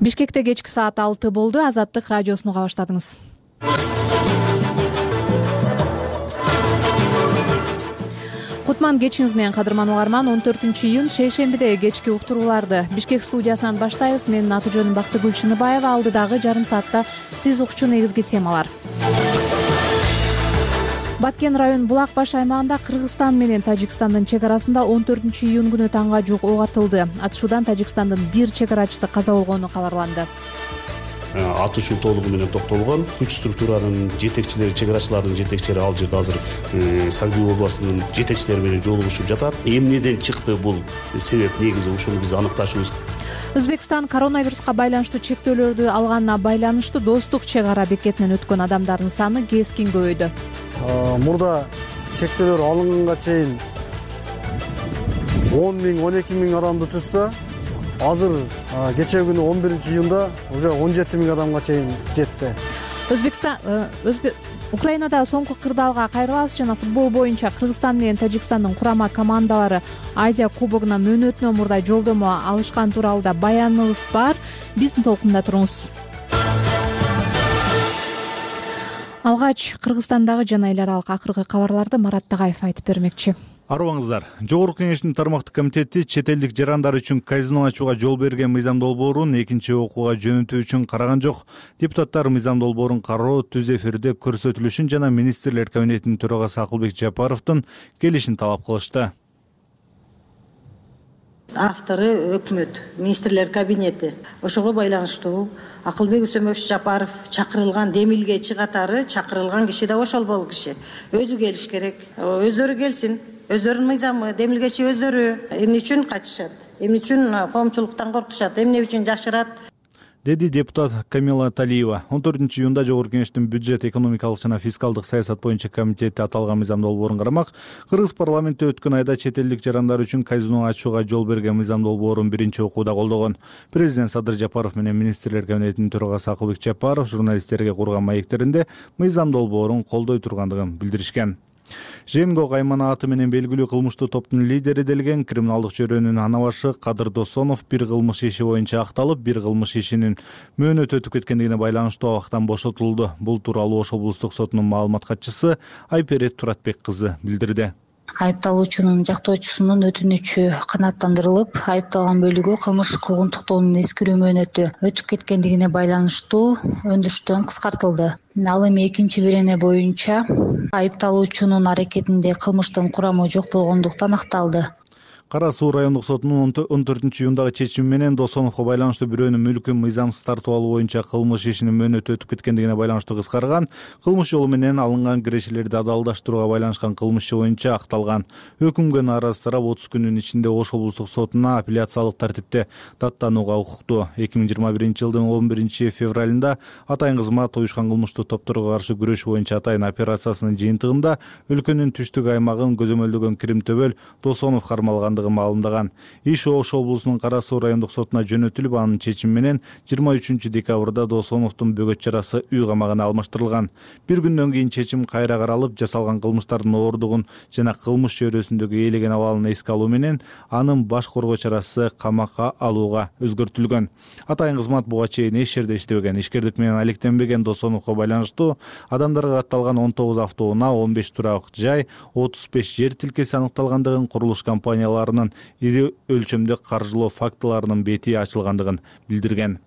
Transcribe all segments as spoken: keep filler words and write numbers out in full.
Бишкекте кечки саат алты болду. Азаттык радиосуну уга баштадыңыз. Кутман кечиңиз менен, кадырман угарман. он төртүнчү июнь шейшембиде кечки уктурууларды Бишкек студиясынан баштайбыз. Менин аты жөнүм Бактыгүл Чыныбаева. Алдыдагы жарым саатта сиз укчу негизги темалар. Баткен район Булак баш аймагында Кыргызстан менен Тажикстандын чек арасында он төртүнчү июнь күнү таңга жуук ок атылды. Атышуудан Тажикстандын бир чек арачысы каза болгону кабарланды. Атышуу толугу менен токтолгон. Күч структуранын жетекчилери, чек арачылардын жетекчилери ал жерде азыр Сагдуу областынын жетекчилери менен жолугушуп жатат. Эмнеден чыкты бул себеп, негизи ушуну биз аныкташыбыз. Өзбекстан коронавируска байланыштуу чектөөлөрдү алганына байланыштуу Достук чек ара бекетинен өткөн адамдардын саны кескин көбөйдү. Мурда чектөөлөр алынганга чейин он миң он эки миң адамды түзсө, азыр кечээ күнү он биринчи июнда уже он жети миң адамга чейин жетти. Өзбекстан Өзбек Украинада соңку кырдаалга кайрылабыз. Жана футбол боюнча Кыргызстан менен Тажикстандын курама командалары Азия кубогуна мөөнөтүнөн мурда жолдомо алышкан тууралуу да баяныбыз бар. Биздин толкунда туруңуз. Алгач Кыргызстандагы жана эл аралык акыркы кабарларды Марат Тагаев айтып бермекчи. Арыбаңыздар. Жогорку кеңештин тармактык комитети чет элдик жарандар үчүн казино ачууга жол берген мыйзам долбоорун экинчи окууга жөнөтүү үчүн караган жок. Депутаттар мыйзам долбоорун кароо түз эфирде көрсөтүлүшүн жана министрлер кабинетинин төрагасы Акылбек Жапаровдун келишин талап кылышты. Автору өкмөт, министрлер кабинети. Ошого байланыштуу Акылбек Үсөнбекович Жапаров чакырылган демилгечи катары чакырылган киши да ошол бул киши. Өзү келиш керек. Өздөрү келсин. Өздөрүнүн мыйзамы, демилгечи өздөрү. Эмне үчүн качышат? Эмне үчүн коомчулуктан коркушат? Эмне үчүн жашырат? Деди депутат Камила Талиева. он төртүнчү июнда Жогорку кеңештин бюджет, экономикалык жана фискалдык саясат боюнча комитети аталган мыйзам долбоорун карамак. Кыргыз парламентте өткөн айда чет элдик жарандар үчүн казино ачууга жол берген мыйзам долбоорун биринчи окууда колдогон. Президент Садыр Жапаров менен министрлер кабинетинин төрагасы Акылбек Жапаров журналисттерге курган маектеринде мыйзам долбоорун колдой тургандыгын билдиришкен. Женго кайманааты менен белгилүү кылмыштуу топтун лидери делген криминалдык чөйрөнүн анабашы Кадыр Досонов бир кылмыш иши боюнча акталып, бир кылмыш ишинин мөөнөтү өтүп кеткендигине байланыштуу абактан бошотулду. Бул тууралуу Ош облустук сотунун маалымат катчысы Айперет Туратбек кызы билдирди. Айыпталуучунун жактоочусунун өтүнүчү канааттандырылып, айыпталган бөлүгү кылмыш куугунтуктоонун эскирүү мөөнөтү өтүп кеткендигине байланыштуу өндүрүштөн кыскартылды. Ал эми экинчи бирене боюнча айыпталуучунун аракетинде кылмыштын курамы жок болгондуктан акталды. Кара Суу райондук сотунун он төртүнчү июндагы чечими менен Досоновго байланыштуу бирөөнүн мүлкүн мыйзамсыз тартып алуу боюнча кылмыш ишинин мөөнөтү өтүп кеткендигине байланыштуу кыскарган. Кылмыш жолу менен алынган кирешелерди адалдаштырууга байланышкан кылмыш иши боюнча акталган. Өкүмгө нааразы тарап отуз күнүн ичинде Ош облустук сотуна апелляциялык тартипте даттанууга укуктуу. эки миң жыйырма биринчи жылдын он биринчи февралында Атайын кызмат уюшкан кылмыштуу топторго каршы күрөш боюнча Атайын операциясынын жыйынтыгында өлкөнүн түштүк аймагын көзөмөлдөгөн Кирим-Төбөл Досонов кармалгандыгын маалымдаган. Иш Ош облусунун Кара Суу райондук сотуна жөнөтүлүп, анын чечими менен жыйырма үчүнчү декабрда Досоновдун бөгөт чарасы үй камагына алмаштырылган. Бир күндөн кийин чечим кайра каралып, жасалган кылмыштардын оордугун жана кылмыш чөйрөсүндөгү ээлеген абалын эске алуу менен анын баш коргоо чарасы камакка алууга өзгөртүлгөн. Атайын кызмат буга чейин эч жерде иштебеген, ишкердик менен алектенбеген Досоновго байланыштуу адамдарга катталган он тогуз автоунаа, он беш турак жай, отуз беш жер тилкеси аныкталгандыгын, курулуш компанияларынын ири өлчөмдө каржылоо фактыларынын бети ачылгандыгын билдирген.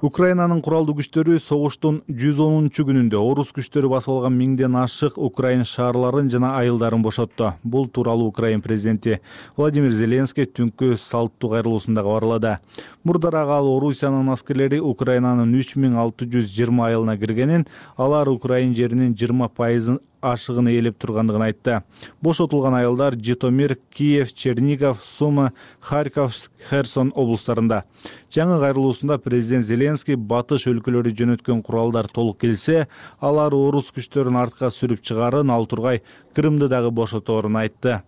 Украинанын куралдуу күчтөрү согуштун жүз онунчу күнүндө орус күчтөрү басып алган миңден ашык украин шаарларын жана айылдарын бошотту. Бул тууралуу Украин президенти Владимир Зеленский түнкү салттуу кайрылуусунда кабарлады. Мурдараак ал Орусиянын аскерлери Украинанын үч миң алты жүз жыйырма айылына киргенин, алар Украин жеринин жыйырма пайызын ашыгын ээлеп тургандыгын айтты. Бошотулган айылдар Житомир, Киев, Чернигов, Сума, Харьков, Херсон облустарында. Жаңы кайрылуусунда президент Зеленский батыш өлкөлөрү жөнөткөн куралдар толук келсе, алар орус күчтөрүн артка сүрүп чыгарын, ал тургай Крымды дагы бошоторун айтты.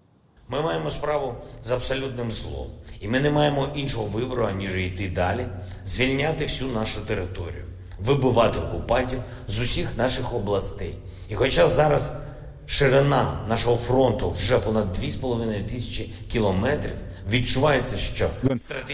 Ми маємо справу з абсолютним злом. І ми не маємо іншого вибору, аніж йти далі, звільняти всю нашу територію, вибивати окупантів з усіх наших областей. І хоча зараз ширина нашого фронту вже понад дві з половиною тисячі кілометрів, Відчувається, що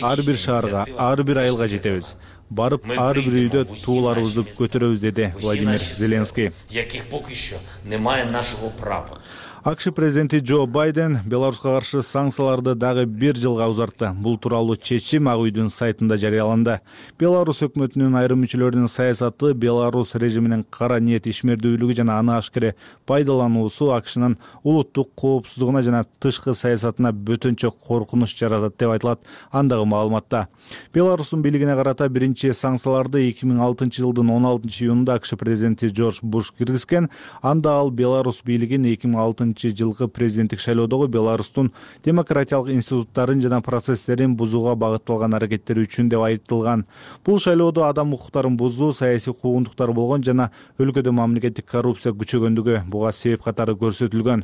ар бир шаарга, ар бир айылга жетебиз. Барып, ар бир үйдө тууларыбызды көтөрөбүз, деди Владимир Зеленский. Яких поки що немає нашого прапора. АКШ президенти Джо Байден Беларуска каршы санкцияларды дагы бир жылга узартты. Бул тууралуу чечим Ак үйдүн сайтында жарыяланды. Беларусь өкмөтүнүн айрым мүчөлөрүнүн саясаты, Беларусь режиминин кара ниет ишмердүүлүгү жана аны ашкере пайдалануусу АКШнын улуттук коопсуздугуна жана тышкы саясатына бөтөнчө коркунуч жаратат деп айтылат андагы маалыматта. Беларустун бийлигине карата биринчи санкцияларды эки миң алтынчы жылдын он алтынчы июнунда АКШ президенти Джордж Буш киргизген. Анда ал Беларусь бийлигин эки миң алтынчы жылкы президенттик шайлоодогу Беларустун демократиялык институттарын жана процесстерин бузууга багытталган аракеттери үчүн деп айыпталган. Бул шайлоодо адам укуктарын бузуу, саясий куугунтуктар болгон жана өлкөдө мамлекеттик коррупция күчөгөндүгү буга себеп катары көрсөтүлгөн.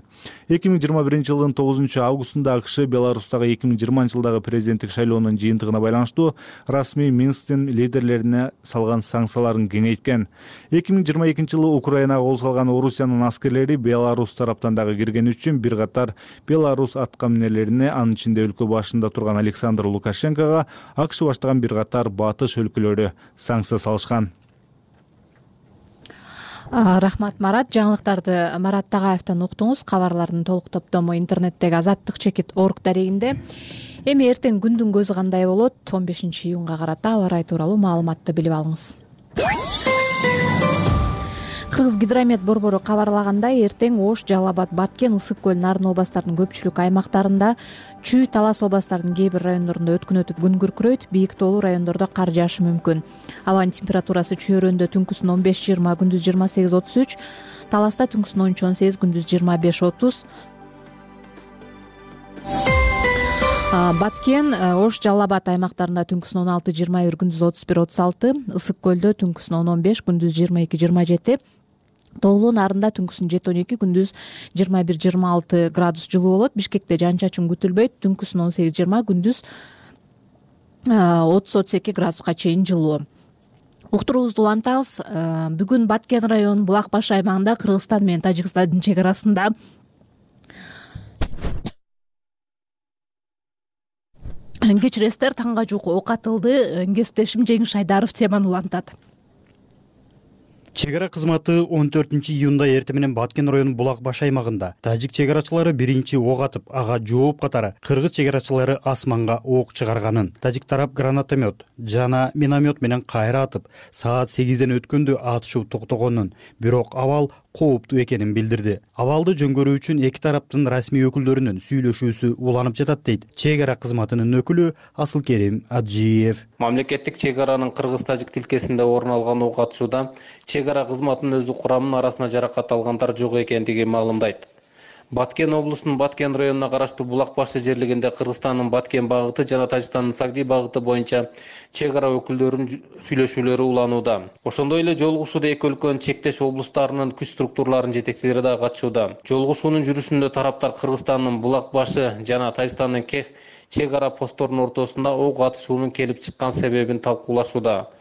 эки миң жыйырма биринчи жылдын тогузунчу августунда АКШ Беларустагы эки миң жыйырманчы жылдагы президенттик шайлоонун жыйынтыгына байланыштуу расмий Минсктин лидерлерине салган санкцияларын кеңейткен. эки миң жыйырма экинчи жылы Украинага кол салган Орусиянын аскерлери Беларусь тараптан дагы кирген үчүн бир катар Беларусь аткаминерлерине, анын ичинде өлкө башында турган Александр Лукашенкого АКШ баштаган бир катар батыш өлкөлөрү санкция салышкан. Рахмат, Марат. Жаңылыктарды Марат Тагаевден уктуңуз. Кабарлардын толук топтому интернеттеги азаттык чекит орг дарегинде. Эми эртең күндүн көзү кандай болот? он бешинчи июнга карата аба ырайы тууралуу маалыматты билип алыңыз. Кыргыз гидромет борбору кабарлагандай, эртең Ош, Жалал Абад, Баткен, Ысык көл, Нарын областарынын көпчүлүк аймактарында, Чүй, Талас областарынын кээ бир райондорунда өткүн өтүп күн күркүрөйт, бийик тоолуу райондордо кар жаашы мүмкүн. Абанын температурасы Чүйөрөндө түнкүсүн он беш жыйырма, күндүз жыйырма сегиз отуз үч, Таласта түнкүсүн он үч он сегиз, күндүз жыйырма беш отуз. Баткен, Ош, Жалал Абад аймактарында түнкүсүн он алты жыйырма бир, күндүз отуз бир отуз алты, Ысык көлдө түнкүсүн он он беш, күндүз жыйырма эки жыйырма жети, Тоолуу Нарында түнкүсүн жети он эки, күндүз жыйырма бир жыйырма алты градус жылуу болот. Бишкекте жан чачын күтүлбөйт, түнкүсүн он сегиз жыйырма, күндүз отуз отуз эки градуска чейин жылуу. Уктуруубузду улантабыз. Бүгүн Баткен районунун Булак баш аймагында Кыргызстан менен Тажикстандын чек арасында кечиресиздер, таңга жуук ок атылды. Кесиптешим Жеңиш Айдаров теманы улантат. Чек ара кызматы он төртүнчү июнда эртең менен Баткен районунун Булак баш аймагында тажик чек арачылары биринчи ок атып, ага жооп катары кыргыз чек арачылары асманга ок чыгарганын, тажик тарап гранатомет жана миномет менен кайра атып, саат сегизден өткөндө атышуу токтогонун, бирок абал кооптуу экенин билдирди. Абалды жөнгөрүү үчүн эки тараптын расмий өкүлдөрүнүн сүйлөшүүсү уланып жатат дейт чек ара кызматынын өкүлү Асылкерим Аджиев. Мамлекеттик чек аранын кыргыз-тажик тилкесинде орун алган ок атышууда чек ара кызматынын өзү курамынын арасында жаракат алгандар жок экендиги маалымдайт. Баткен облусунун Баткен районуна караштуу Булак башы жерлигинде Кыргызстандын Баткен багыты жана Тажикстандын Сагди багыты боюнча чек ара өкүлдөрүнүн сүйлөшүүлөрү уланууда. Ошондой эле жолугушууда эки өлкөнүн чектеш облустарынын күч структураларынын жетекчилери да катышууда. Жолугушуунун жүрүшүндө тараптар Кыргызстандын Булак башы жана Тажикстандын Кех чек ара посторунун ортосунда ок атышуунун келип чыккан себебин талкуулашууда.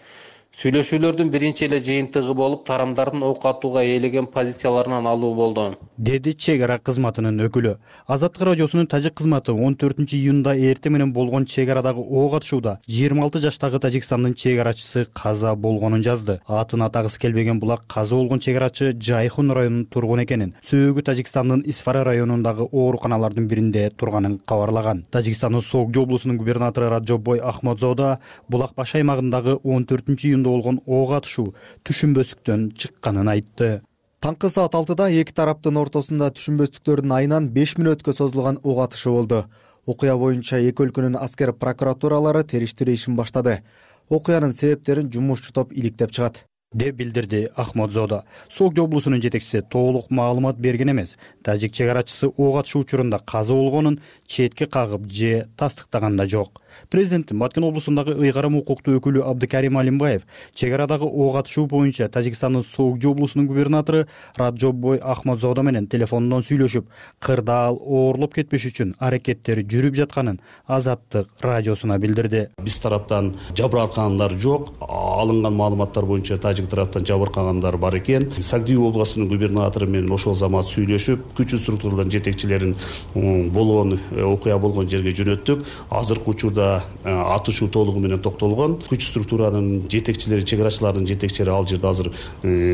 Сүйлөшүүлөрдүн биринчи эле жыйынтыгы болуп, тарамдардын ок атууга ээлеген позицияларынан алуу болду, деди чек ара кызматынын өкүлү. Азаттык радиосунун тажик кызматы он төртүнчү июнда эртең менен болгон чек арадагы ок атышууда жыйырма алты жаштагы Тажикстандын чек арачысы каза болгонун жазды. Атын атагысы келбеген Булак каза болгон чек арачы Жайхун районунун тургуну экенин, сөөгү Тажикстандын Исфара районундагы ооруканалардын биринде турганын кабарлаган. Тажикстандын Согди облусунун губернатору Раджобой Ахмадзода Булак баш аймагындагы он төртүнчү июнда болгон ок атышуу түшүнбөстүктөн чыкканын айтты. Таңкы саат алтыда эки тараптын ортосунда түшүнбөстүктөрдүн айынан беш мүнөткө созулган ок атышы болду. Окуя боюнча эки өлкөнүн аскер прокуратуралары териштирүү ишин баштады. Окуянын себептерин жумушчу топ иликтеп чыгат, деп билдирди Ахмадзода. Согди облусунун жетекчиси толук маалымат берген эмес. Тажик чек арачысы ок атышуу учурунда каза болгонун четке кагып же тастыктаган да жок. Президенттин Баткен облусундагы ыйгарым укуктуу өкүлү Абдыкарим Алимбаев чек арадагы ок атышуу боюнча Тажикстандын Согди облусунун губернатору Раджобой Ахмадзода менен телефондон сүйлөшүп, кырдаал оорлоп кетпеш үчүн аракеттери жүрүп жатканын Азаттык радиосуна билдирди. Биз тараптан жабыркагандар жок, алынган маалыматтар боюнча тажик тараптан жабыркагандар бар экен. Сагдиев областынын губернатору менен ошол замат сүйлөшүп, күчтүү структуралардын жетекчилерин болгон окуя болгон жерге жөнөттүк. Азыркы учурда атышуу толугу менен токтолгон. Күч структуранын жетекчилери, чек арачылардын жетекчилери ал жерде азыр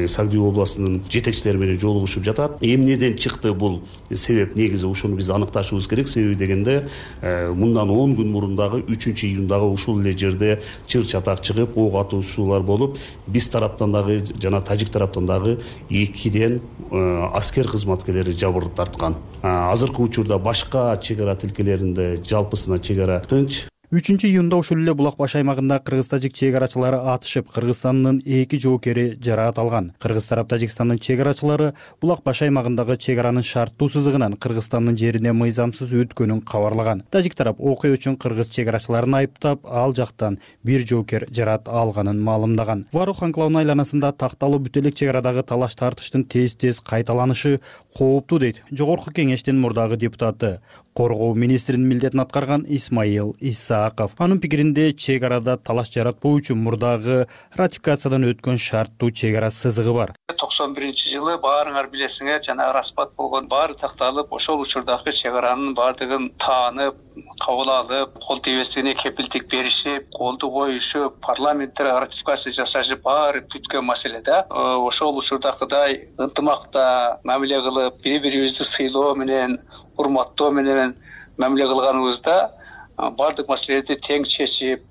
Сагдиев областынын жетекчилери менен жолугушуп жатат. Эмнеден чыкты бул себеп, негизи ушуну биз аныкташыбыз керек. Себеби дегенде мындан он күн мурун дагы үчүнчү июндагы ушул эле жерде чыр чатак чыгып, ок атуушуулар болуп, биз тараптан дагы жана тажик тараптан дагы экиден аскер кызматкерлери жабыр тарткан. Азыркы учурда башка чек ара тилкелеринде жалпысына чек ара тынч. үчүнчү июнда ушул эле Булак баш аймагында кыргыз-тажик чек арачылары атышып, Кыргызстандын эки жоокери жараат алган. Кыргыз тарап Тажикстандын чек арачылары Булак баш аймагындагы чек аранын шарттуу сызыгынан Кыргызстандын жерине мыйзамсыз өткөнүн кабарлаган. Тажик тарап окуя үчүн кыргыз чек арачыларын айыптап, ал жактан бир жоокер жараат алганын маалымдаган. Варух анклавынын айланасында такталуу бүт элек чек арадагы талаш тартыштын тез-тез кайталанышы кооптуу дейт Жогорку Кеңештин мурдагы депутаты, коргоо министринин милдетин аткарган Исмаил Исааков. Анын пикиринде чек арада талаш жаратпоо үчүн мурдагы ратификациядан өткөн шарттуу чек ара сызыгы бар. токсон биринчи жылы баарыңар билесиңер, жана распад болгон баары такталып, ошол учурдагы чек аранын баардыгын таанып, кабыл алып, кол тийбестигине кепилдик беришип, колду коюшуп, парламентте ратификация жасашып, баары бүткөн маселе да. Ошол учурдагыдай ынтымакта мамиле кылып, бири-бирибизди сыйлоо менен, урматтоо менен мамиле кылганыбызда баардык маселелерди тең чечип,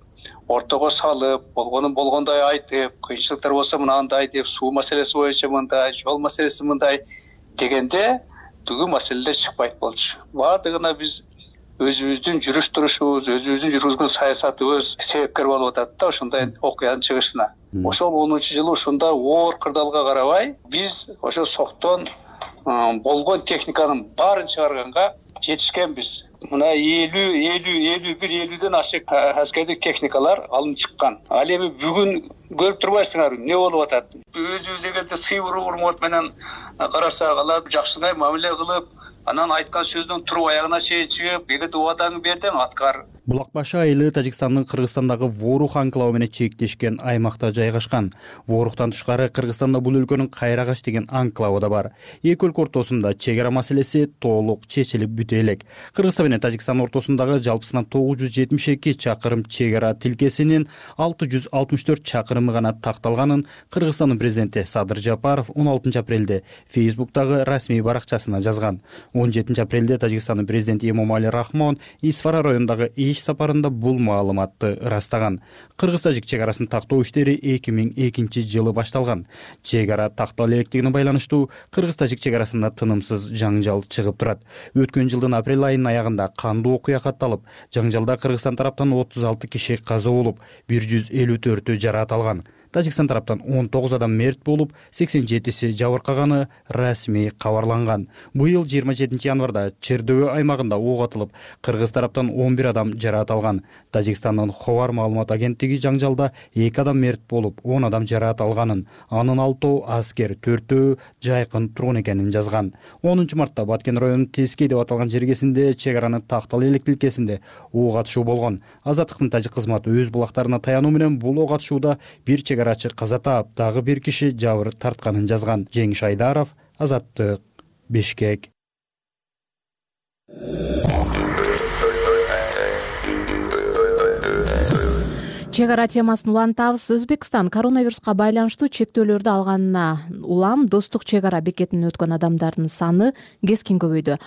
ортого салып, болгонун болгондой айтып, кыйынчылыктар болсо мынандай деп, суу маселеси боюнча мындай, жол маселеси мындай дегенде бүгүн маселелер чыкпайт болчу. Баардыгына биз өзүбүздүн жүрүш турушубуз, өзүбүздүн жүргүзгөн саясатыбыз себепкер болуп атат да ушундай окуянын чыгышына. Ошол онунчу жылы ушундай оор кырдаалга карабай, биз ошо соктон болгон техниканын баарын чыгарганга жетишкенбиз. Мына элүү, элүү, элүү бир, элүүдөн ашык аскердик техникалар алынып чыккан. Ал эми бүгүн көрүп турбайсыңарбы, эмне болуп атат? Өзүбүз эгерде сый урмат менен карасак, алар жакшынай мамиле кылып, анан айткан сөздөн туруп аягына чейин чыгып, эгерде убадаңды бердиң, аткар. Булак баш айылы Тажикстандын Кыргызстандагы Ворух анклавы менен чектешкен аймакта жайгашкан. Воруктан тышкары Кыргызстанда бул өлкөнүн Кайрагаш деген анклавы да бар. Эки өлкө ортосунда чек ара маселеси толук чечилип бүтө элек. Кыргызстан менен Тажикстан ортосундагы жалпысынан тогуз жүз жетимиш эки чакырым чек ара тилкесинин алты жүз алтымыш төрт чакырымы гана такталганын Кыргызстандын президенти Садыр Жапаров он алтынчы апрелде Фейсбуктагы расмий баракчасына жазган. он жетинчи апрелде Тажикстандын президенти Эмомали Рахмон Исфара районундагы иш сапарында бул маалыматты ырастаган. Кыргыз-тажик чек арасын тактоо иштери эки миң экинчи жылы башталган. Чек ара тактала электигине байланыштуу Кыргыз-тажик чек арасында тынымсыз жаңжал чыгып турат. Өткөн жылдын апрель айынын аягында кандуу окуя катталып, жаңжалда Кыргызстан тараптан отуз алты киши каза болуп, бир жүз элүү төртү жараат алган. Тажикстан тараптан он тогуз адам мерт болуп, сексен жетиси жабыркаганы расмий кабарланган. Быйыл жыйырма жетинчи январда Чердөбө аймагында ок атылып, кыргыз тараптан он бир адам жараат алган. Тажикстандын Ховар маалымат агенттиги жаңжалда эки адам мерт болуп, он адам жараат алганын, анын алтоо аскер, төртөө жайкын тургун экенин жазган. онунчу мартта Баткен районунун Тескей деп аталган жергесинде чек аранын тактал элек тилкесинде ок атышуу болгон. Азаттыктын тажик кызматы өз булактарына таянуу менен бул ок атышууда бир чек арачы каза таап, дагы бир киши жабыр тартканын жазган. Жеңиш Айдаров, Азаттык, Бишкек. Чек ара темасын улантабыз. Өзбекстан коронавируска байланыштуу чектөөлөрдү алганына улам достук чек ара бекетинен өткөн адамдардын саны кескин көбөйдү.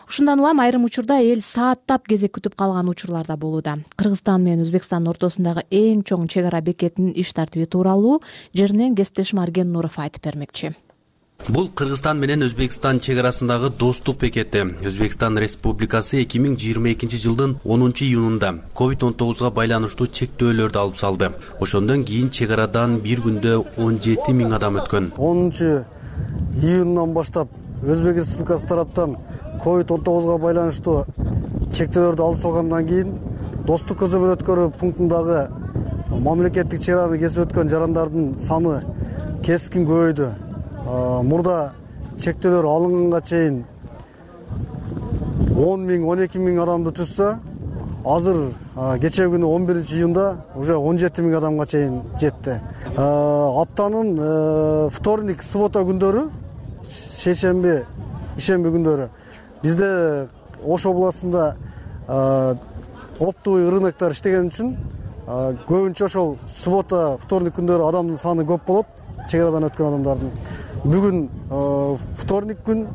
Ушундан улам айрым учурда эл сааттап кезек күтүп калган учурлар да болууда. Кыргызстан менен Өзбекстандын ортосундагы эң чоң чек ара бекетинин иш тартиби тууралуу жеринен кесиптешим Арген Нуров айтып бермекчи. Бул Кыргызстан менен Өзбекстан чек арасындагы достук бекети. Өзбекстан Республикасы эки миң жыйырма экинчи жылдын онунчу июнунда ковид он тогузга байланыштуу чектөөлөрдү алып салды. Ошондон кийин чек арадан бир күндө он жети миң адам өткөн. онунчу июндан баштап Өзбек Республикасы тараптан ковид он тогузга байланыштуу чектөөлөрдү алып салгандан кийин достук көзөмөл өткөрүү пунктундагы мамлекеттик чек араны кесип өткөн жарандардын саны кескин көбөйдү. Мурда чектөөлөр алынганга чейин он миң, он эки миң адамды түзсө, азыр кечээ күнү он биринчи июнда уже он жети миң адамга чейин жетти. Аптанын вторник, суббота күндөрү, шейшемби, ишемби күндөрү бизде Ош областында оптовый рыноктор иштеген үчүн көбүнчө ошол суббота, вторник күндөрү адамдын саны көп болот, чек арадан өткөн адамдардын. Бүгүн вторник күн,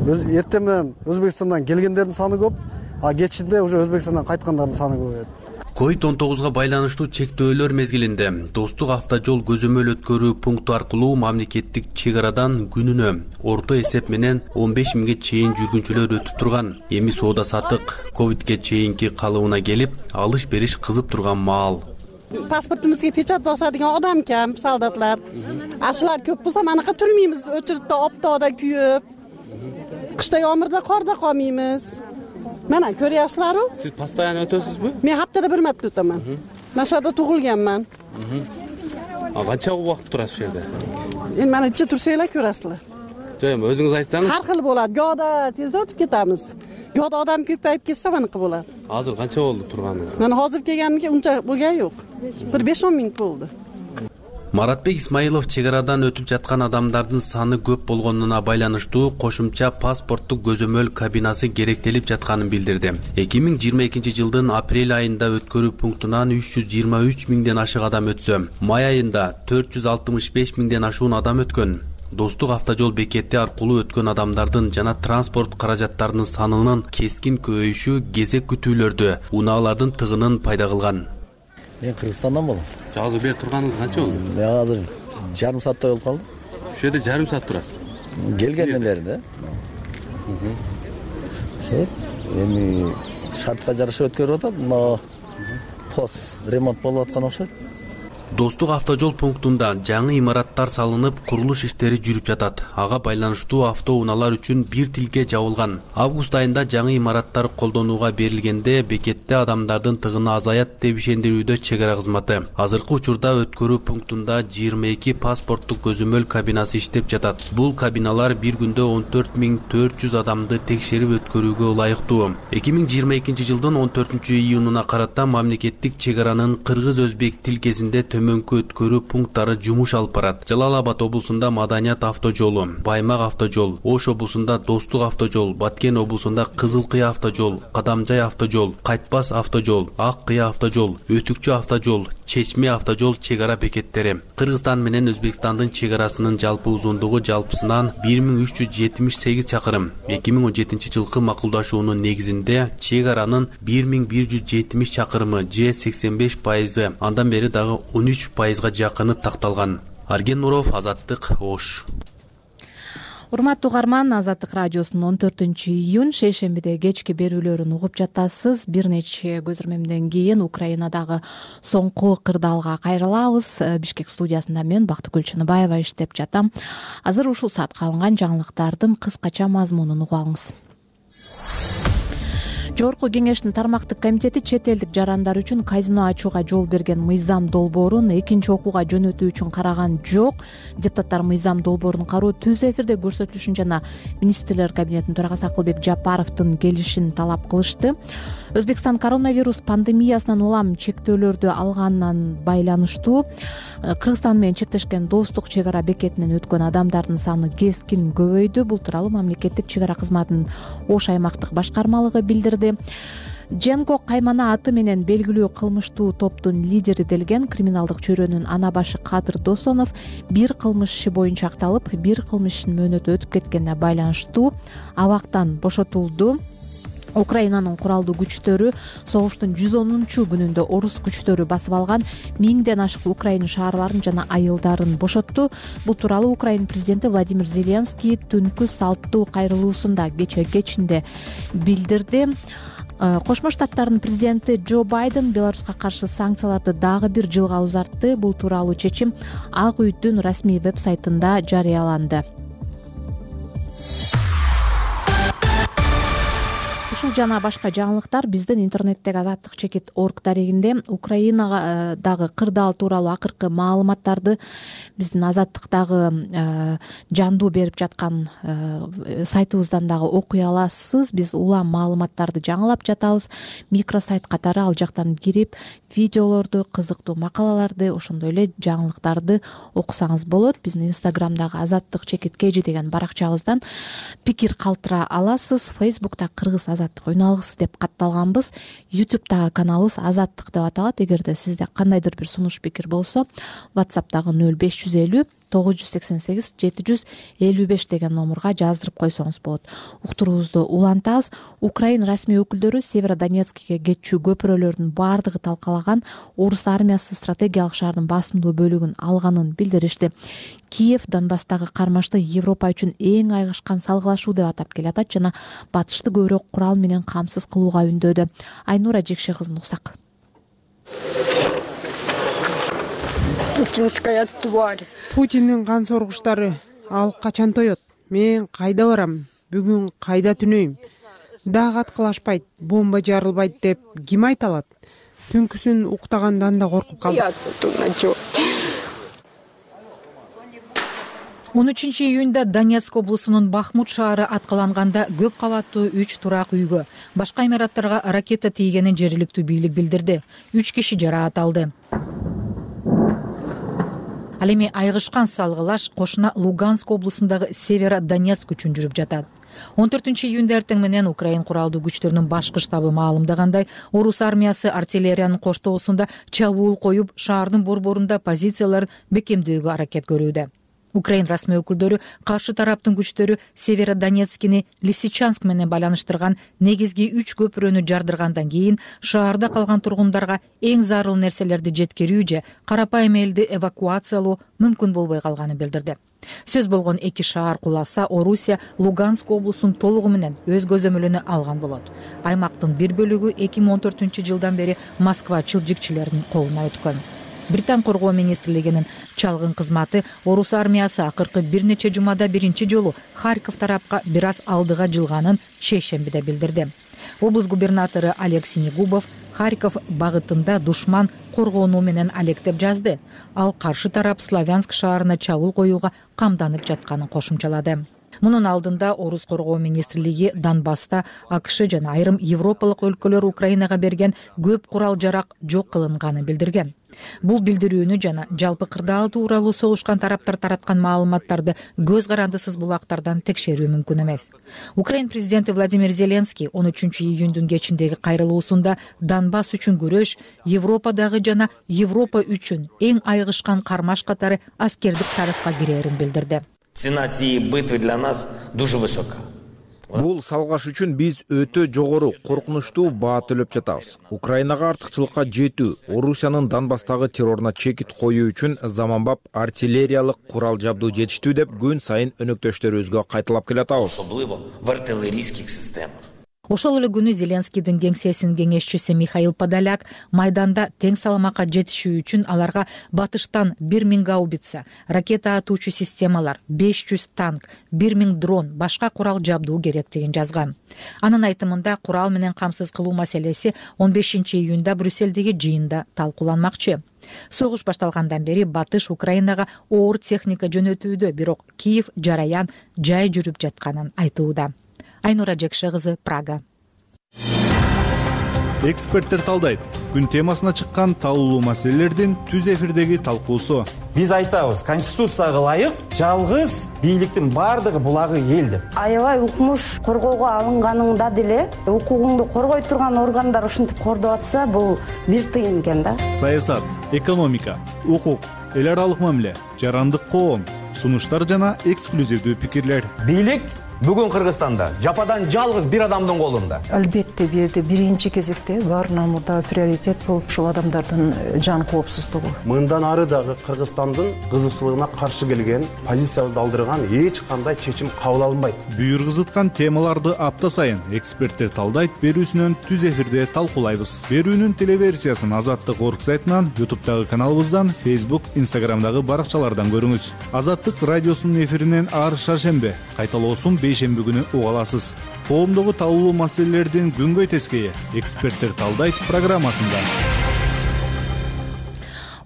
эртең менен Өзбекстандан келгендердин саны көп, а кечинде уже Өзбекстандан кайткандардын саны көбөйөт. ковид он тогузга байланыштуу чектөөлөр мезгилинде Достук автожол көзөмөл өткөрүү пункту аркылуу мамлекеттик чек арадан күнүнө орто эсеп менен он беш миңге чейин жүргүнчүлөр өтүп турган. Эми соода саттык ковидке чейинки калыбына келип, алыш бериш кызып турган маал. Паспортубузга печат басадыган адам кем, солдатлар. Ашылар көп болсо манакы турмайбыз, очередде оптоодо күйөп. Кышта ямырда, карда калмайбыз. Мана көрөсүзлөрбү? Сиз постоянно өтөсүзбү? Мен хаптада бир марта өтөмүн. Машада тугулганмын. А канча убакыт турасыз ушул жерде? Эми мана иче турса эле көрөсүзлөр. Жок, эми өзүңүз айтсаңыз. Ар кыл болот. Года тезде өтүп кетебиз. Года адам көпөйүп кетсе манакы болот. Азыр канча болду турганыңыз? Мана азыр келгенимге унча болгон жок. Бир беш он миң болду. Маратбек Исмаилов чек арадан өтүп жаткан адамдардын саны көп болгонуна байланыштуу кошумча паспорттук көзөмөл кабинасы керектелип жатканын билдирди. эки миң жыйырма экинчи жылдын апрель айында өткөрүү пунктунан үч жүз жыйырма үч миңден ашык адам өтсө, май айында төрт жүз алтымыш беш миңден ашуун адам өткөн. Достук автожол бекети аркылуу өткөн адамдардын жана транспорт каражаттарынын санынын кескин көбөйүшү кезек күтүүлөрдө унаалардын тыгынын пайда кылган. Мен Кыргызстандан болом. Азыр бери турганыңыз канча болду? Мен азыр жарым сааттай болуп калды. Ушул жерде жарым саат турасыз. Келгенден бери да. Ошо эми шартка жараша өткөрүп атат, но пост ремонт болуп аткан окшойт. Достук автожол пунктунда жаңы имараттар салынып, курулуш иштери жүрүп жатат. Ага байланыштуу автоунаалар үчүн бир тилке жабылган. Август айында жаңы имараттар колдонууга берилгенде бекетте адамдардын тыгыны азаят деп ишендирүүдө чек ара кызматы. Азыркы учурда өткөрүү пунктунда жыйырма эки паспорттук көзөмөл кабинасы иштеп жатат. Бул кабиналар бир күндө он төрт миң төрт жүз адамды текшерип өткөрүүгө ылайыктуу. эки миң жыйырма экинчи жылдын он төртүнчү июнуна карата мамлекеттик чек аранын кыргыз-өзбек тилкесинде төмөнкү өткөрүү пункттары жумуш алып барат. Жалал Абад облусунда Маданият автожолу, Баймак автожол, Ош облусунда Достук автожол, Баткен облусунда Кызыл Кыя автожол, Кадамжай автожол, Кайтпас автожол, Ак Кыя автожол, Өтүкчү автожол, Чечме автожол чек ара бекеттери. Кыргызстан менен Өзбекстандын чек арасынын жалпы узундугу жалпысынан бир миң үч жүз жетимиш сегиз чакырым. эки миң он жетинчи жылкы макулдашуунун негизинде чек аранын бир миң бир жүз жетимиш чакырымы же сексен беш пайызы, андан бери дагы он үч пайызга жакыны такталган. Арген Нуров, Азаттык, Ош. Урматтуу угарман, Азаттык радиосунун он төртүнчү июнь шейшембиде кечки берүүлөрүн угуп жатасыз. Бир нече көз ирмемден кийин Украинадагы соңку кырдаалга кайрылабыз. Бишкек студиясында мен Бактыгүл Чыныбаева иштеп жатам. Азыр ушул саатка алынган жаңылыктардын кыскача мазмунун угуп алыңыз. Жогорку кеңештин тармактык комитети чет элдик жарандар үчүн казино ачууга жол берген мыйзам долбоорун экинчи окууга жөнөтүү үчүн караган жок. Депутаттар мыйзам долбоорун кароо түз эфирде көрсөтүлүшүн жана министрлер кабинетинин төрагасы Акылбек Жапаровдун келишин талап кылышты. Өзбекстан коронавирус пандемиясынан улам чектөөлөрдү алганынан байланыштуу Кыргызстан менен чектешкен Достук чек ара бекетинен өткөн адамдардын саны кескин көбөйдү. Бул тууралуу мамлекеттик чек ара кызматынын Ош аймактык башкармалыгы билдирди. Женко Каймана аты менен белгилүү кылмыштуу топтун лидери делген криминалдык чөйрөнүн ана башы Кадыр Досонов бир кылмыш иши боюнча акталып, бир кылмыш ишинин мөөнөтү өтүп кеткенине байланыштуу абактан бошотулду. Украинанын куралдуу күчтөрү согуштун жүз онунчу күнүндө орус күчтөрү басып алган миңден ашык Украина шаарларын жана айылдарын бошотту. Бул тууралуу Украина президенти Владимир Зеленский түнкү салттуу кайрылуусунда кечээ кечинде билдирди. Кошмо Штаттардын президенти Джо Байден Беларуска каршы санкцияларды дагы бир жылга узартты. Бул тууралуу чечим Ак үйдүн расмий веб-сайтында жарыяланды. ушул жана башка жаңылыктар биздин интернеттеги азаттык чекит орг дарегинде. Украинадагы кырдаал тууралуу акыркы маалыматтарды биздин азаттыктагы жандуу берип жаткан сайтыбыздан дагы окуй аласыз. Биз улам маалыматтарды жаңылап жатабыз. Микросайт катары ал жактан кирип видеолорду, кызыктуу макалаларды, ошондой эле жаңылыктарды окусаңыз болот. Биздин инстаграмдагы азаттык чекит кж деген баракчабыздан пикир калтыра аласыз. Фейсбукта кыргыз азаттык үналгысы деп катталганбыз. Ютубтагы каналыбыз азаттык деп аталат. Эгерде сизде кандайдыр бир сунуш пикир болсо, WhatsAppтагы нөл беш жүз элүү тогуз жүз сексен сегиз жети жүз элүү беш деген номурга жаздырып койсоңуз болот. Уктуруубузду улантабыз. Украина расмий өкүлдөрү Северодонецкке кетчү көпүрөлөрдүн баардыгы талкалаган. Орус армиясы стратегиялык шаардын басымдуу бөлүгүн алганын билдиришти. Киев Донбасстагы кармашты Европа үчүн эң айгышкан салгылашуу деп атап келатат жана батышты көбүрөөк курал менен камсыз кылууга үндөдү. Айнура Жекше кызын уксак. Путинская тварь. Путиндин кан соргучтары. Ал качан тоет? Мен кайда барам? Бүгүн кайда түнөйм? Дагы аткылашпайт, бомба жарылбайт деп ким айта алат? Түнкүсүн уктагандан да коркуп калдым. он үчүнчү июнда Донецк облусунун Бахмут шаары аткыланганда көп кабаттуу үч турак үйгө башка имараттарга ракета тийгенин жергиликтүү бийлик билдирди. үч киши жараат алды. Ал эми айгышкан салгылаш кошуна Луганск облусундагы Северодонецк үчүн жүрүп жатат. он төртүнчү июнда эртең менен Украин куралдуу күчтөрүнүн башкы штабы маалымдагандай, орус армиясы артиллериянын коштоосунда чабуул коюп, шаардын борборунда позицияларын бекемдөөгө аракет көрүүдө. Украин расмий өкүлдөрү каршы тараптын күчтөрү Северодонецкини Лисичанск менен байланыштырган негизги үч көпүрөнү жардыргандан кийин шаарда калган тургундарга эң зарыл нерселерди жеткирүү же карапайым элди эвакуациялоо мүмкүн болбой калганын билдирди. Сөз болгон эки шаар куласа, Орусия Луганск облусун толугу менен өз көзөмөлүнө алган болот. Аймактын бир бөлүгү эки миң он төртүнчү жылдан бери Москва чылжикчилеринин колуна өткөн. Британ коргоо министрлигинин чалгын кызматы орус армиясы акыркы бир нече жумада биринчи жолу Харьков тарапка бир аз алдыга жылганын шейшембиде билдирди. Облус губернатору Олег Синегубов Харьков багытында душман коргонуу менен алектеп жазды. Ал каршы тарап Славянск шаарына чабуул коюуга камданып жатканын кошумчалады. Мунун алдында орус коргоо министрлиги Донбасста АКШ жана айрым европалык өлкөлөр Украинага берген көп курал жарак жок кылынганын билдирген. Бул билдирүүнү жана жалпы кырдаал тууралуу согушкан тараптар тараткан маалыматтарды көз карандысыз булактардан текшерүү мүмкүн эмес. Украин президенти Владимир Зеленский он үчүнчү июндун кечиндеги кайрылуусунда Донбасс үчүн күрөш Европадагы жана Европа үчүн эң айгышкан кармаш катары аскердик тарыхка кирерин билдирди. Цена цієї битви для нас дуже висока. Бул салгаш үчүн биз өтө жогору, коркунучтуу баа төлөп жатабыз. Украинага артыкчылыкка жетүү, Орусиянын Донбасстагы терроруна чекит коюу үчүн заманбап артиллериялык курал жабдуу жетиштүү деп күн сайын өнөктөштөрүбүзгө кайталап келатабыз. Особливо в артиллерийских системах. Ошол эле күнү Зеленскийдин кеңсесинин кеңешчиси Михаил Подоляк майданда тең салмакка жетишүү үчүн аларга батыштан бир миң гаубица, ракета атуучу системалар, беш жүз танк, бир миң дрон, башка курал жабдуу керектигин жазган. Анын айтымында курал менен камсыз кылуу маселеси он бешинчи июнда Брюссельдеги жыйында талкууланмакчы. Согуш башталгандан бери батыш Украинага оор техника жөнөтүүдө, бирок Киев жараян жай жүрүп жатканын айтууда. Айнура Жекше кызы, Прага. Эксперттер талдайт. Күн темасына чыккан талуулуу маселелердин түз эфирдеги талкуусу. Биз айтабыз, конституцияга ылайык жалгыз бийликтин бардыгы булагы эл деп. Аябай укмуш коргоого алынганыңда деле укугуңду коргой турган органдар ушинтип кордоп атса, бул бир тыйын экен да. Саясат, экономика, укук, эл аралык мамиле, жарандык коом, сунуштар жана эксклюзивдүү пикирлер. Бийлик бүгүн Кыргызстанда жападан жалгыз бир адамдын колунда. Албетте бул жерде биринчи кезекте баарынан мурда приоритет болуп ушул адамдардын жан коопсуздугу. Мындан ары дагы Кыргызстандын кызыкчылыгына каршы келген, позициябызды алдырган эч кандай чечим кабыл алынбайт. Бүйүр кызыткан темаларды апта сайын эксперттер талдайт берүүсүнөн түз эфирде талкуулайбыз. Берүүнүн телеверсиясын Азаттык орг сайтынан, ютубтагы каналыбыздан, фейсбук, инстаграмдагы баракчалардан көрүңүз. Азаттык радиосунун эфиринен ар шаршембе, кайталоосун беш шейшемби күнү уга аласыз. Коомдогу талуулуу маселелердин күнгөй тескейи эксперттер талдайт программасында.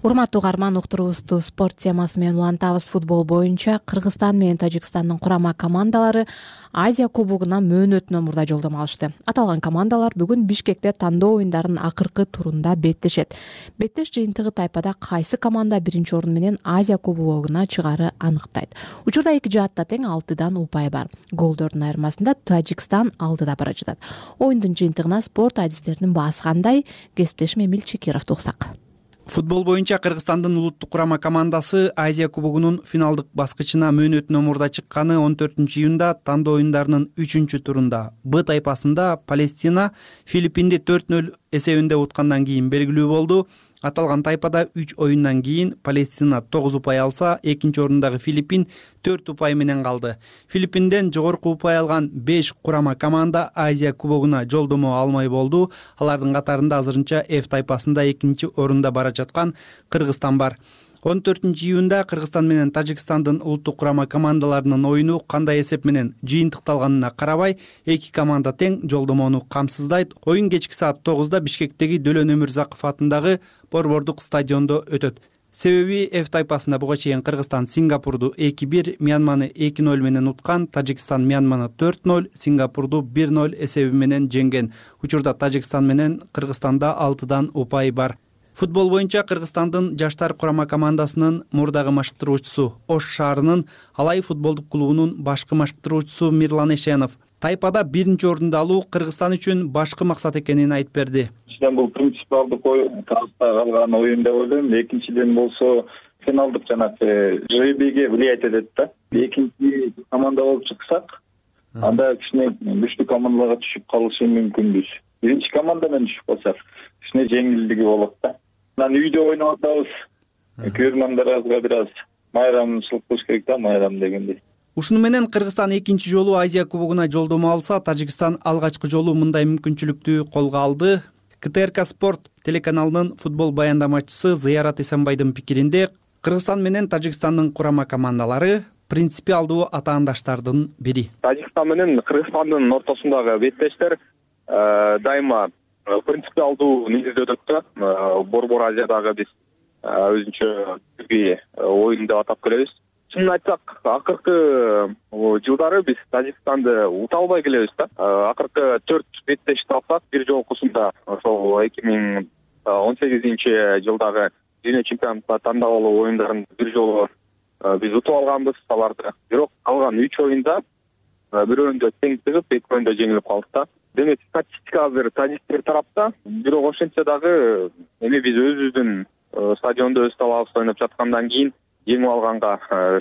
Урматтуу угарман, уктуруубузду спорт темасы менен улантабыз. Футбол боюнча Кыргызстан менен Тажикстандын курама командалары Азия кубогуна мөөнөтүнөн мурда жолдомо алышты. Аталган командалар бүгүн Бишкекте тандоо оюндарынын акыркы турунда беттешет. Беттеш жыйынтыгы тайпада кайсы команда биринчи орун менен Азия кубогуна чыгаары аныктайт. Учурда эки жаатта тең алтыдан упай бар. Голдордун айырмасында Тажикстан алдыда бара жатат. Оюндун жыйынтыгына спорт адистеринин баасы кандай? Кесиптешим Эмил Чекировду уксак. Футбол боюнча Кыргызстандын улуттук курама командасы Азия кубогунун финалдык баскычына мөөнөтүнөн мурда чыкканы он төртүнчү июнда тандоо оюндарынын үчүнчү турунда Б тайпасында Палестина Филиппинди төрт нөл эсебинде уткандан кийин белгилүү болду. Аталган тайпада үч оюндан кийин Палестина тогуз упай алса, экинчи орундагы Филиппин төрт упай менен калды. Филиппинден жогорку упай алган беш курама команда Азия кубогуна жолдомо алмай болду. Алардын катарында азырынча F тайпасында экинчи орунда бара жаткан Кыргызстан бар. он төртүнчү июнда Кыргызстан менен Тажикстандын улуттук курама командаларынын оюну кандай эсеп менен жыйынтыкталганына карабай, эки команда тең жолдомону камсыздайт. Оюн кечки саат тогузда Бишкектеги Дөлөн Өмүрзаков атындагы Борбордук стадиондо өтөт. Себеби F тайпасында буга чейин Кыргызстан Сингапурду эки бир, Мьянманы эки нөл менен уткан, Тажикстан Мьянманы төрт нөл, Сингапурду бир нөл эсеби менен жеңген. Учурда Тажикстан менен Кыргызстанда алтыдан упай бар. Футбол боюнча Кыргызстандын жаштар курама командасынын мурдагы машыктыруучусу Ош шаарынын Алай футболдук клубунун башкы машыктыруучусу Мирлан Эшенов тайпада биринчи орунду алуу Кыргызстан үчүн башкы максат экенин айтып берди. Биринчиден бул принципиалдык тарапта калган оюн деп ойлойм. Экинчиден болсо финалдык жанагы жребийге влиять этет да. Экинчи команда болуп чыксак, анда кичине күчтүү командаларга түшүп калышы мүмкүнбүз. Биринчи команда менен түшүп калсак, кичине жеңилдиги болот да. Анан үйдө ойноп атабыз. Көрөрмандарга бир аз майрамчылык кылыш керек да, майрам дегендей. Ушуну менен Кыргызстан экинчи жолу Азия кубогуна жолдомо алса, Тажикстан алгачкы жолу мындай мүмкүнчүлүктү колго алды. К Т Р К Спорт телеканалынын футбол баяндамачысы Зыярат Эсенбайдын пикиринде, Кыргызстан менен Тажикстандын курама командалары принципиалдуу атаандаштардын бири. Тажикстан менен Кыргызстандын ортосундагы беттештер дайыма принципиалдуу негизде өтөт да. Борбор Азиядагы биз өзүнчө бир оюн деп атап келебиз. Чынын айтсак, акыркы жылдары биз Тажикстанды ута албай келебиз да. Акыркы төрт беттешти алсак, бир жолкусунда ошол эки миң он сегизинчи жылдагы дүйнө чемпионатына тандалуу оюндарын бир жолу биз утуп алганбыз аларды. Бирок калган үч оюнда бирөөндө тең чыгып, экөөндө жеңилип калдык да. Демек статистика азыр тажиктер тарапта, бирок ошентсе дагы эми биз өзүбүздүн стадиондо өз талабыбызда ойноп жаткандан кийин жеңип алганга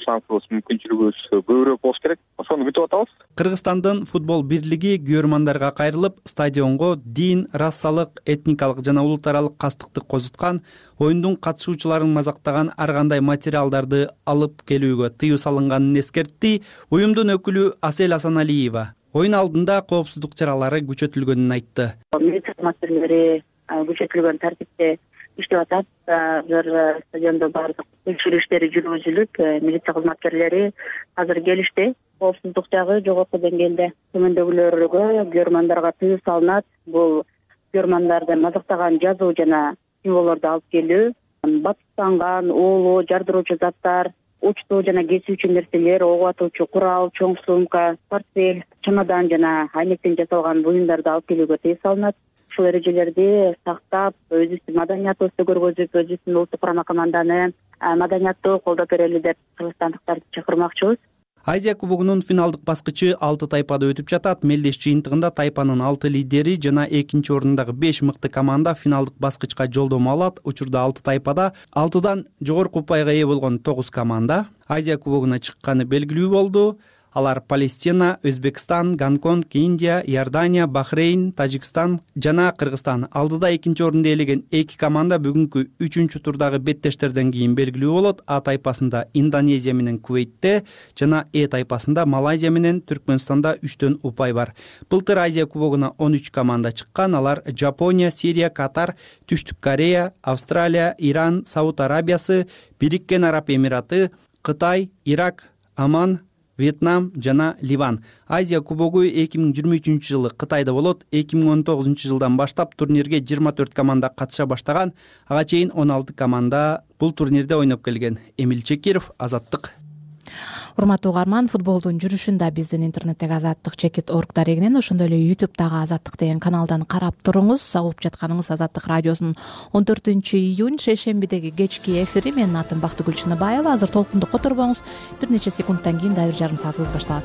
шансыбыз, мүмкүнчүлүгүбүз көбүрөөк болуш керек. Ошону күтүп атабыз. Кыргызстандын футбол бирлиги күйөрмандарга кайрылып, стадионго дин, расалык, этникалык жана улут аралык кастыкты козуткан, оюндун катышуучуларын мазактаган ар кандай материалдарды алып келүүгө тыюу салынганын эскертти. Уюмдун өкүлү Асель Асаналиева оюн алдында коопсуздук чаралары күчөтүлгөнүн айтты. Милиция маселелери күчөтүлгөн тартипте иштеп атат. Азыр стадиондо баардык текшерүү иштери жүргүзүлүп, милиция кызматкерлери азыр келишти. Коопсуздук жагы жогорку деңгээлде. Төмөндөгүлөргө күйөрмандарга тыюу салынат. Бул күйөрмандарды мазактаган жазуу жана символдорду алып келүү, батыктанган, оолуу, жардыруучу заттар, учтуу жана кесүүчү нерселер, ого атуучу курал, чоң сумка, портфель, чемодан жана айнектен жасалган буюмдарды алып келүүгө тыюу салынат. Ушул эрежелерди сактап, өзүбүздүн маданиятыбызды көргөзүп, өзүбүздүн улуттук курама команданы маданияттуу колдоп берели деп кыргызстандыктарды чакырмакчыбыз. Азия кубогунун финалдык баскычы алты тайпада өтүп жатат. Мелдеш жыйынтыгында тайпанын алты лидери жана экинчи орундагы беш мыкты команда финалдык баскычка жолдомо алат. Учурда алты тайпада алтыдан жогорку упайга ээ болгон тогуз команда Азия кубогуна чыкканы белгилүү болду. Алар Палестина, Өзбекстан, Гонконг, Индия, Иордания, Бахрейн, Тажикстан жана Кыргызстан. Алдыда экинчи орунду ээлеген эки команда бүгүнкү үчүнчү турдагы беттештерден кийин белгилүү болот. А тайпасында Индонезия менен Кувейтте жана Э тайпасында Малайзия менен Түркмөнстанда үчтөн упай бар. Былтыр Азия кубогуна он үч команда чыккан. Алар Жапония, Сирия, Катар, Түштүк Корея, Австралия, Иран, Сауд Арабиясы, Бириккен Араб Эмираты, Кытай, Ирак, Оман, Вьетнам жана Ливан. Азия кубогу эки миң жыйырма үчүнчү жылы Кытайда болот. эки миң он тогузунчу жылдан баштап турнирге жыйырма төрт команда катыша баштаган. Ага чейин он алты команда бул турнирде ойноп келген. Эмил Чекиров, Азаттык. Урматтуу угарман, футболдун жүрүшүн да биздин интернеттеги азаттык чекит орг дарегинен, ошондой эле ютубтагы азаттык деген каналдан карап туруңуз. Угуп жатканыңыз Азаттык радиосунун он төртүнчү июнь шейшембидеги кечки эфири. Менин атым Бактыгүл Чыныбаева. Азыр толкунду которбоңуз. Бир нече секундтан кийин дагы бир жарым саатыбыз башталат.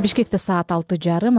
Бишкекте саат алты жарым.